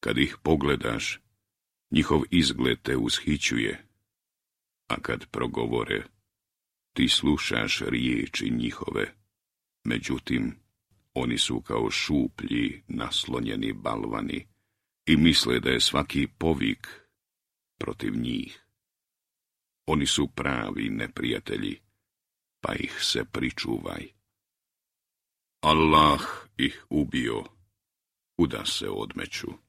Kad ih pogledaš, njihov izgled te ushićuje, a kad progovore, ti slušaš riječi njihove. Međutim, oni su kao šuplji, naslonjeni balvani i misle da je svaki povik protiv njih. Oni su pravi neprijatelji, pa ih se pričuvaj. Allah ih ubio, kuda se odmeću.